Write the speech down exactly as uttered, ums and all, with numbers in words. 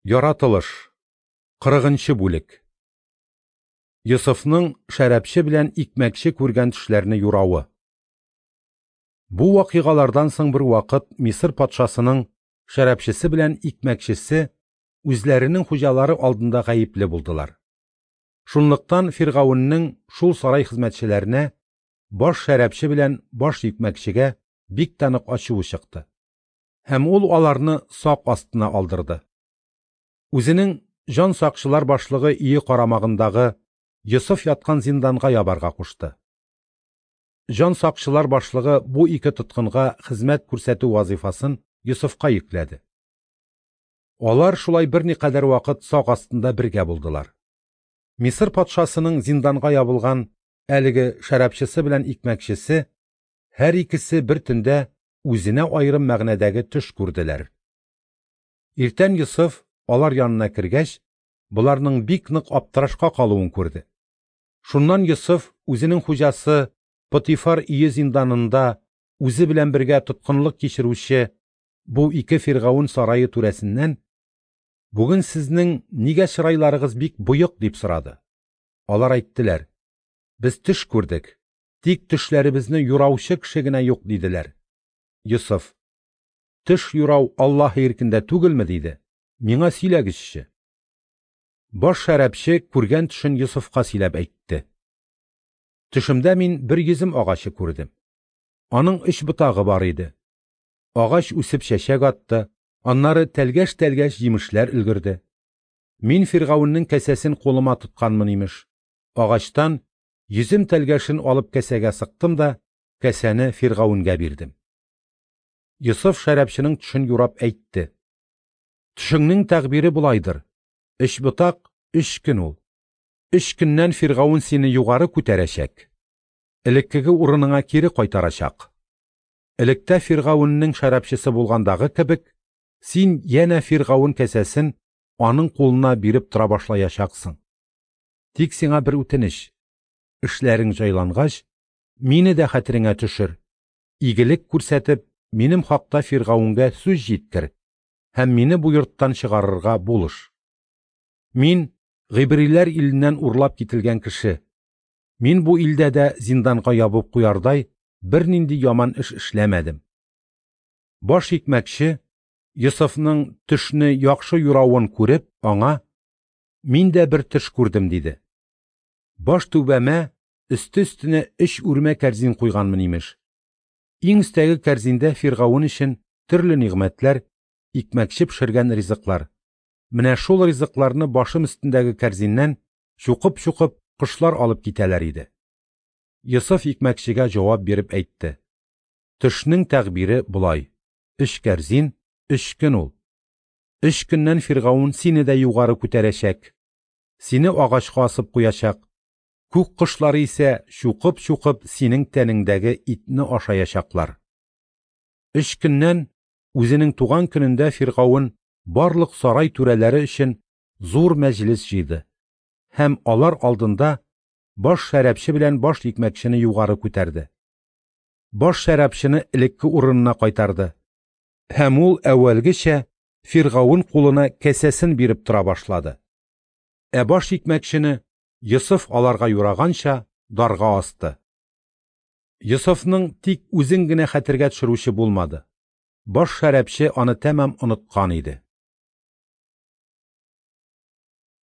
Яратылыш. Кырыгынчы бүлек. Йосыфның шәрабчы белән икмәкче күргән төшләрне юравы. Бу вакыйгалардан соң бер вакыт Мисыр патшасының шәрабчысы белән икмәкчесе үзләренең хуҗалары алдында гаепле булдылар. Шунлыктан Фиргавеннең шул сарай хезмәтчеләренә, баш шәрабчы белән баш икмәкчегә бик тә нык ачуы чыкты. Һәм ул аларны сак астына алдырды. Үзенең җан сакчылар башлыгы өе карамагындагы Йосыф яткан зинданга ябарга кушты. Җан сакчылар башлыгы бу ике тоткынга хезмәт күрсәтү вазифасын Йосыфка йөкләде. Алар шулай берникадәр вакыт сак астында бергә булдылар. Мисыр патшасының зинданга ябылган әлеге шәрабчысы белән икмәкчесе һәр икесе бер төндә үзенә аерым мәгънәдәге төш күрделәр. Иртән Йосыф алар янына кергәч, боларның бик нык аптырашка калуын күрде. Шуннан Йосыф үзенең хуҗасы Потифар өе зинданында үзе белән бергә тоткынлык кичерүче бу ике фиргавен сарае түрәсеннән: "Бүген сезнең нигә чырайларыгыз бик боек?" дип сорады. Алар әйттеләр: "Без төш күрдек, тик төшләребезне юраучы кеше генә юк", диделәр. Йосыф: "Төш юрау Аллаһ иркендә түгелме?" диде. "Миңа сөйләгезче." Баш шәрабчы күргән төшен Йосыфка сөйләп әйтте. Төшемдә мин бер йөзем агачы күрдем. Аның өч ботагы бар иде. Агач үсеп чәчәк атты, аннары тәлгәш-тәлгәш җимешләр өлгерде. Мин Фиргавеннең кәсәсен кулыма тотканмын имеш. Агачтан йөзем тәлгәшен алып кәсәгә сыктым да кәсәне Фиргавенгә бирдем. Йосыф шәрабчының төшен юрап әйтте: "Төшеңнең тәгъбире болайдыр. Өч ботак өч көн ул. Өч көннән Фиргавен сине югары күтәрәчәк, элеккеге урыныңа кире кайтарачак. Электә Фиргавеннең шәрабчысы булгандагы кебек, син янә Фиргавен кәсәсен аның кулына биреп тора башлаячаксың. Тик сиңа бер үтенеч: эшләрең җайлангач, мине дә хәтереңә төшер, игелек күрсәтеп, минем хакта Фиргавенгә сүз җиткер һәм мине бу йорттан чыгарырга булыш. Мин гыйбриләр иленнән урлап кителгән кеше. Мин бу илдә дә зинданга ябып куярдай бернинди яман эш эшләмәдем." Баш икмәкче Йосыфның төшне яхшы юравын күреп, аңа: "Мин дә бер төш күрдем", диде. "Баш түбәмә өсте өстенә өч үрмә кәрзин куйганмын имеш. Иң өстәге кәрзиндә Фиргавен өчен төрле нигъмәтләр, икмәкче пешергән ризыклар. Менә шул ризыкларны башым өстендәге кәрзиннән чукып-чукып кошлар алып китәләр иде." Йосыф икмәкчегә җавап биреп әйтте: "Төшнең тәгъбире болай: өч кәрзин өч көн ул. Өч көннән Фиргавен сине дә югары күтәрәчәк, сине агачка асып куячак. Күк кошлары исә чукып-чукып синең тәнеңдәге итне ашаячаклар." Өч көннән үзенең туган көнендә Фиргавен барлык сарай түрәләре өчен зур мәҗлес җыйды һәм алар алдында баш шәрабчы белән баш икмәкчене югары күтәрде. Баш шәрабчыны элекке урынына кайтарды, һәм ул әүвәлгечә Фиргавен кулына кәсәсен биреп тора башлады. Ә баш икмәкчене Йосыф аларга юраганча дарга асты. Йосыфның тик үзен генә хәтергә төшерүче булмады. Баш шәрабчы аны тәмам оныткан иде.